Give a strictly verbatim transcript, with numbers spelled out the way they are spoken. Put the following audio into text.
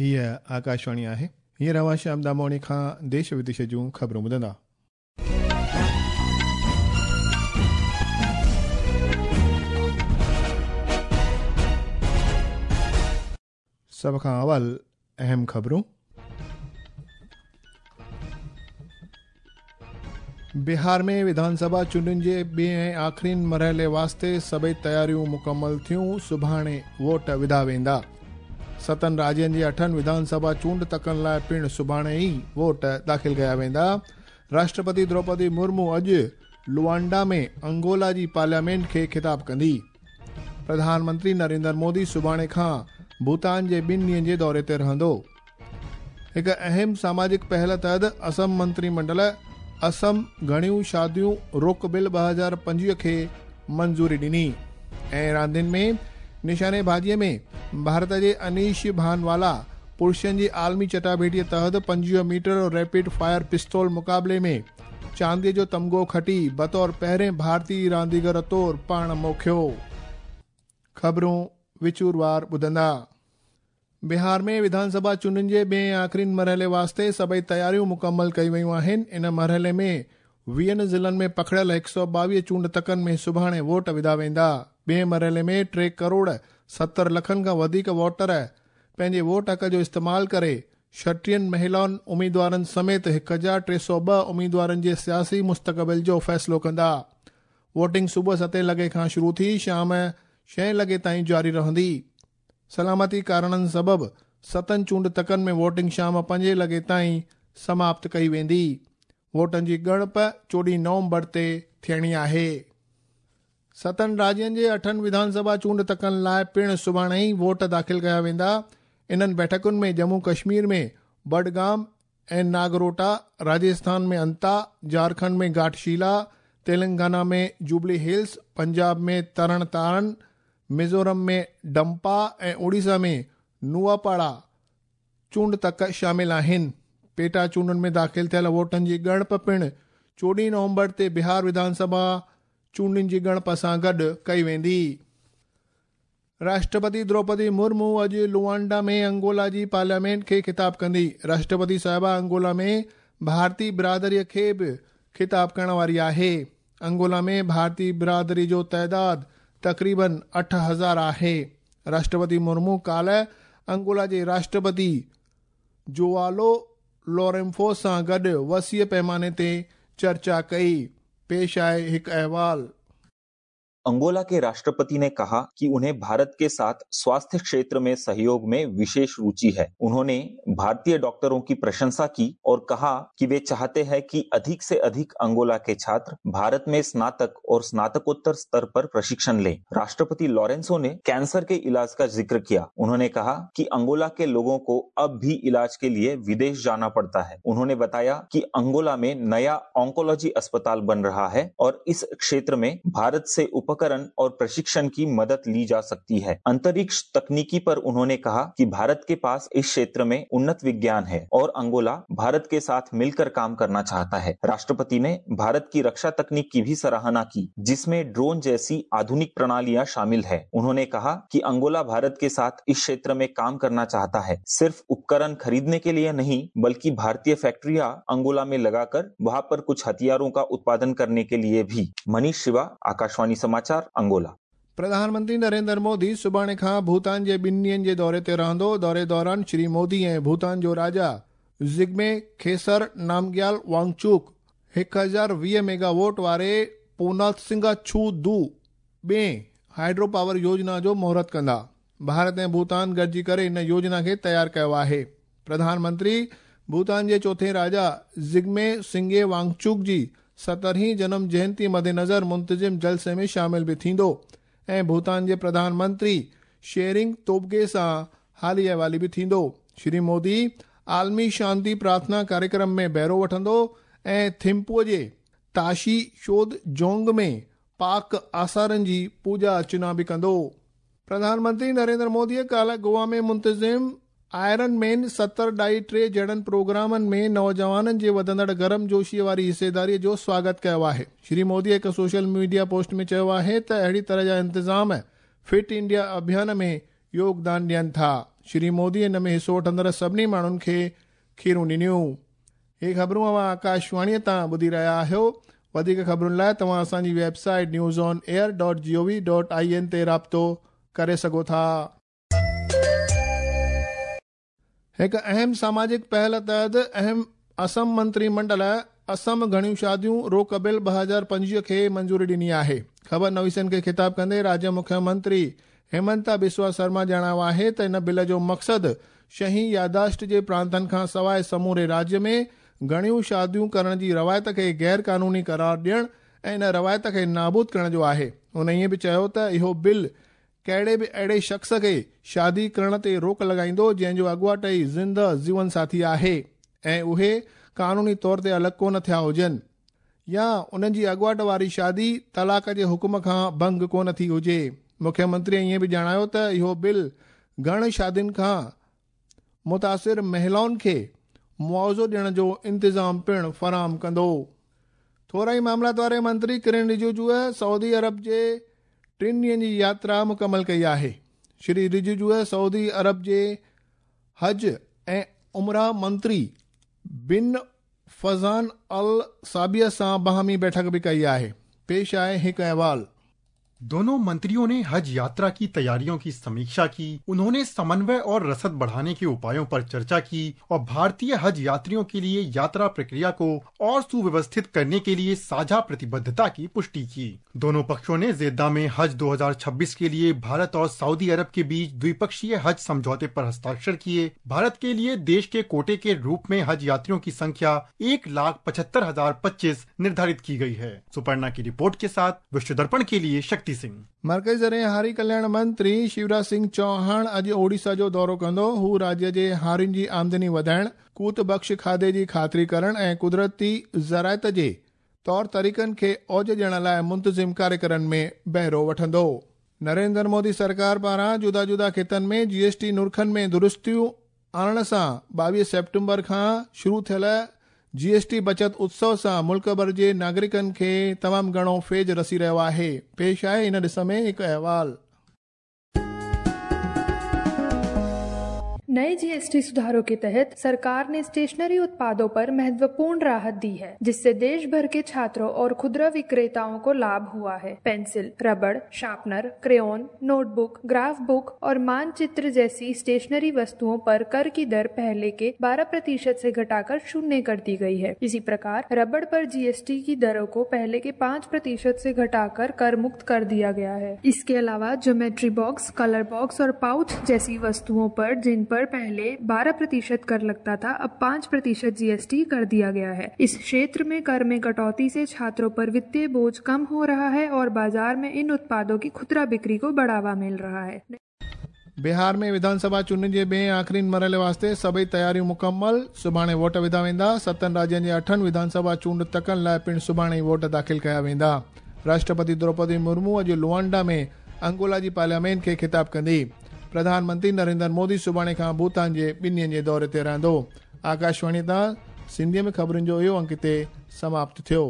हीअ आकाशवाणी आहे। हींअर अव्हां श्याम दामोणी खां देश विदेश जूं ख़बरूं ॿुधंदा। सभ खां अवल अहम ख़बरूं। बिहार में विधानसभा चूंडुनि जे ॿिए ऐं आख़िरीन मरहले वास्ते सभई तयारियूं मुकमल थियूं। सुभाणे वोट विधा वेंदा। सतनि राज्यनि जे अठनि विधानसभा चूंड तकनि लाइ पिणु सुभाणे ई वोट दाख़िल कया वेंदा। राष्ट्रपति द्रौपदी मुर्मू अॼु लुआंडा में अंगोला जी पार्लियामेंट खे ख़िताब कंदी। प्रधानमंत्री नरेंद्र मोदी सुभाणे खां भूटान जे ॿिनि ॾींहनि जे दौरे ते रहंदो। हिकु अहम सामाजिक पहल तहत असम मंत्रिमंडल असम घणियूं शादियूं रोक बिल ॿ हज़ार पंजवीह खे मंज़ूरी ॾिनी। ऐं रांदियुनि में निशानेबाज़ीअ में भारत जे अनीश भानवाला पुरुषनि जी आलमी चटाभेटीअ तहत पंजवीह मीटर रैपिड फायर पिस्तौल मुक़ाबले में चांदीअ जो तमगो खटी बतौर पहिरें भारतीय रांदीगर तौर पाण मोखियो। ख़बरूं विचूरवार ॿुधंदा। बिहार में विधानसभा चूंडुनि जे ॿिए ऐं आख़िरीन मरहले वास्ते सभई तयारियूं मुकमल कई वयूं आहिनि। इन मरहले में वीहनि ज़िलनि में पखड़ियल हिकु सौ ॿावीह चूंड तकनि में सुभाणे वोट विधा वेंदा। ॿिए मरहले में टे करोड़ सतरि लखनि खां वधीक वोटर पंहिंजे वोट हक़ जो इस्तेमालु करे छटीहनि महिलाउनि उम्मीदवारनि समेत हिकु हज़ार टे सौ ॿ उम्मीदवारनि जे सियासी मुस्तक़बिल जो फ़ैसिलो कंदा। वोटिंग सुबुह सतें लॻे खां शुरू थी शाम छहें लॻे ताईं जारी रहंदी। सलामती कारणनि सबबि सतनि चूंड तकनि में वोटिंग शाम पंजे लॻे ताईं समाप्त कई वेंदी। वोटनि जी ॻणप चोॾहीं नवंबर ते थियणी आहे। सतनि राज्यनि जे अठनि विधानसभा चूंड तकनि लाइ पिणु सुभाणे ई वोट दाख़िल कया वेंदा। इन्हनि बैठकुनि में जम्मू कश्मीर में बडगाम ऐं नागरोटा, राजस्थान में अंता, झारखंड में घाटशिला, तेलंगाना में जुबली हिल्स, पंजाब में तरण तारण, मिज़ोरम में डंपा ऐं उड़ीसा में नुआपाड़ा चूंड तक शामिल आहिनि। पेटा चूंडुनि में दाख़िल थियल वोटनि जी ॻणप पिणु चोॾहीं नवंबर ते बिहार विधानसभा चूंडुनि जी ॻणप सां गॾु कई वेंदी। राष्ट्रपति द्रौपदी मुर्मू अॼु लुआंडा में अंगोला जी पार्लियामेंट खे ख़िताब कंदी। राष्ट्रपति साहिबा अंगोला में भारतीय बिरादरीअ खे बि ख़िताब करण वारी आहे। अंगोला में भारतीय बिरादरी जो तादाद तक़रीबन अठ हज़ार आहे। राष्ट्रपति मुर्मू काल्ह अंगोला जे राष्ट्रपति जोआलो लोरेंफो सां गॾु वसीअ पैमाने ते चर्चा कई। पेश आहे हिकु अहवाल। अंगोला के राष्ट्रपति ने कहा कि उन्हें भारत के साथ स्वास्थ्य क्षेत्र में सहयोग में विशेष रुचि है। उन्होंने भारतीय डॉक्टरों की प्रशंसा की और कहा कि वे चाहते हैं कि अधिक से अधिक अंगोला के छात्र भारत में स्नातक और स्नातकोत्तर स्तर पर प्रशिक्षण लें। राष्ट्रपति लॉरेंसो ने कैंसर के इलाज का जिक्र किया। उन्होंने कहा कि अंगोला के लोगों को अब भी इलाज के लिए विदेश जाना पड़ता है। उन्होंने बताया कि अंगोला में नया ऑन्कोलॉजी अस्पताल बन रहा है और इस क्षेत्र में भारत से उपकरण और प्रशिक्षण की मदद ली जा सकती है। अंतरिक्ष तकनीकी पर उन्होंने कहा कि भारत के पास इस क्षेत्र में उन्नत विज्ञान है और अंगोला भारत के साथ मिलकर काम करना चाहता है। राष्ट्रपति ने भारत की रक्षा तकनीक की भी सराहना की, जिसमें ड्रोन जैसी आधुनिक प्रणालियां शामिल है। उन्होंने कहा कि अंगोला भारत के साथ इस क्षेत्र में काम करना चाहता है, सिर्फ उपकरण खरीदने के लिए नहीं, बल्कि भारतीय फैक्ट्रियां अंगोला में लगाकर वहां पर कुछ हथियारों का उत्पादन करने के लिए भी। मनीष शिवा, आकाशवाणी समाचार, अंगोला। प्रधानमंत्री नरेंद्र मोदी सुभाणे खां भूटान जे ॿिनि ॾींहनि जे दौरे ते रहंदो। दौरे दौरान श्री मोदी ऐं भूटान जो राजा जिग्मे खेसर नामग्याल वांगचुक हिकु हज़ार वीह मेगावोट वारे पोनासिंगा छू दू ॿिए हाइड्रो पावर योजना जो मुहूर्त कंदा। भारत ऐं भूटान गॾिजी करे इन योजना खे तयारु कयो आहे। प्रधानमंत्री भूटान जे चोथे राजा जिग्मे सिंगे वांगचुक जी सतरहीं जन्म जयंती मद्देनज़र मुंतज़िम जलसे में शामिल बि थींदो ऐं भूटान जे प्रधानमंत्री शेरिंग तोबगे सां हाली अहवाली बि थींदो। श्री मोदी आलमी शांति प्रार्थना कार्यक्रम में बहिरो वठंदो ऐं थिम्पूअ जे ताशी शोध जोंग में पाक आसारनि जी पूजा अर्चना बि कंदो। प्रधानमंत्री नरेंद्र मोदीअ काल्ह गोवा में मुंतज़िम आयरन मैन सत्तर ढाई टे जहिड़नि प्रोग्रामनि में नौजवाननि जे वधंदड़ गर्मजोशीअ वारी हिस्सेदारीअ जो स्वागत कयो आहे। श्री मोदी हिकु सोशल मीडिया पोस्ट में चयो आहे त अहिड़ी तरह जा इंतज़ाम फिट इंडिया अभियान में योगदान ॾियनि था। श्री मोदी इन में हिसो वठंदड़ सभिनी माण्हुनि खे खीरूं ॾिनियूं। हे ख़बरूं अवां आकाशवाणीअ तां ॿुधी रहिया आहियो। वधीक ख़बरुनि लाइ तव्हां असांजी website news on air dot G O V dot I N ते राब्तो करे सघो था। हिकु अहम सामाजिक पहल तहत अहम असम मंत्रीमंडल असम घणियूं शादियूं रोक बिल ॿ हज़ार पंजवीह खे मंज़ूरी ॾिनी आहे। ख़बर नवीसनि खे ख़िताब कंदे राज्य मुख्यमंत्री हेमंता बिस्वा शर्मा ॼाणायो आहे त इन बिल जो मक़सदु शही यादाश्त जे प्रांतनि खां सवाइ समूरे राज्य में घणियूं शादियूं करण जी रवायत खे गैर कानूनी करार ॾियण ऐं इन रवायत खे नाबूद करण जो आहे। हुन ईअं बि चयो त इहो बिल कहिड़े बि अहिड़े शख़्स खे शादी करण ते रोक लॻाईंदो जंहिंजो अॻुवाट ई ज़िंदा जीवन साथी आहे ऐं उहे कानूनी तौर ते अलॻि कोन थिया हुजनि या उन्हनि जी अॻुवाट वारी शादी तलाक़ जे हुक्म खां भंग कोन थी हुजे। मुख्यमंत्री ईअं बि ॼाणायो त इहो बिल घण शादियुनि खां मुतासिर महिलाउनि खे मुआवज़ो ॾियण जो इंतिज़ाम पिणु फराहम कंदो। थोरा ई मामलात वारे मंत्री किरण रिजिजूअ सऊदी अरब जे टिनि ॾींहनि जी यात्रा मुकमल कई आहे। श्री रिजिजूअ सऊदी अरब जे हज ऐं उमरा मंत्री बिन फज़ान अल साबिया सां बाहमी बैठक बि कई आहे। पेश आहे हिकु अहवाल। दोनों मंत्रियों ने हज यात्रा की तैयारियों की समीक्षा की। उन्होंने समन्वय और रसद बढ़ाने के उपायों पर चर्चा की और भारतीय हज यात्रियों के लिए यात्रा प्रक्रिया को और सुव्यवस्थित करने के लिए साझा प्रतिबद्धता की पुष्टि की। दोनों पक्षों ने जेद्दा में हज दो हज़ार छब्बीस के लिए भारत और सऊदी अरब के बीच द्विपक्षीय हज समझौते पर हस्ताक्षर किए। भारत के लिए देश के कोटे के रूप में हज यात्रियों की संख्या एक लाख पचहत्तर हजार पच्चीस निर्धारित की गई है। सुपर्णा की रिपोर्ट के साथ विश्व दर्पण के लिए शक्ति सिंह। मर्कज़ी ज़रिए हारी कल्याण मंत्री शिवराज सिंह चौहान अॼु ओडिशा जो दौरो कंदो। हू राज्य जे हारियुनि जी आमदनी वधाइण, कूत बख़्श खाधे जी ख़ातिरी करण ऐं कुदरती ज़राइत जे तौर तरीक़नि खे औज ॾियण लाइ मुंतज़िम कार्यक्रम में बहिरो वठंदो। नरेंद्र मोदी सरकार पारां जुदा जुदा ख़ितनि में जीएसटी नुरखनि में दुरुस्तियूं आणण सां ॿावीह सेप्टेम्बर खां शुरू थियल जीएसटी बचत उत्सव सां मुल्क भर जे नागरिकनि खे तमामु घणो फ़ैज़ रसी रहियो आहे। पेश आहे इन ॾिस में हिकु अहवाल। नए जीएसटी सुधारों के तहत सरकार ने स्टेशनरी उत्पादों पर महत्वपूर्ण राहत दी है, जिससे देश भर के छात्रों और खुदरा विक्रेताओं को लाभ हुआ है। पेंसिल, रबड़, sharpener, crayon, notebook, graph book और मानचित्र जैसी स्टेशनरी वस्तुओं पर कर की दर पहले के बारह प्रतिशत से घटाकर शून्य कर दी गई है। इसी प्रकार रबड़ पर जीएसटी की दरों को पहले के पाँच प्रतिशत से घटाकर कर मुक्त कर दिया गया है। इसके अलावा ज्योमेट्री बॉक्स, कलर बॉक्स और पाउच जैसी वस्तुओं पर जिन पर पहले बारह प्रतिशत कर लगता था, अब पाँच प्रतिशत जीएसटी कर दिया गया है। इस क्षेत्र में कर में कटौती से छात्रों पर वित्तीय बोझ कम हो रहा है और बाजार में इन उत्पादों की खुदरा बिक्री को बढ़ावा मिल रहा है। बिहार में विधानसभा चूंडनि जे ॿिए आख़िरी मरहले वास्ते सभई तयारियूं मुकमल। सुभाणे वोट विधा वेंदा। सतनि राज्यनि जे अठनि विधानसभा चूंड तकनि लाइ पिणु सुभाणे ई वोट दाख़िल कया वेंदा। राष्ट्रपति द्रौपदी मुर्मू अॼु लुआंडा में अंगोला जी पार्लियामेंट खे ख़िताब कंदी। प्रधानमंत्री नरेंद्र मोदी सुभाणे खां भूटान जे ॿिनि ॾींहनि जे दौरे ते रहंदो। आकाशवाणी तां सिंधीअ में ख़बरुनि जो इहो अंक हिते समाप्त थियो।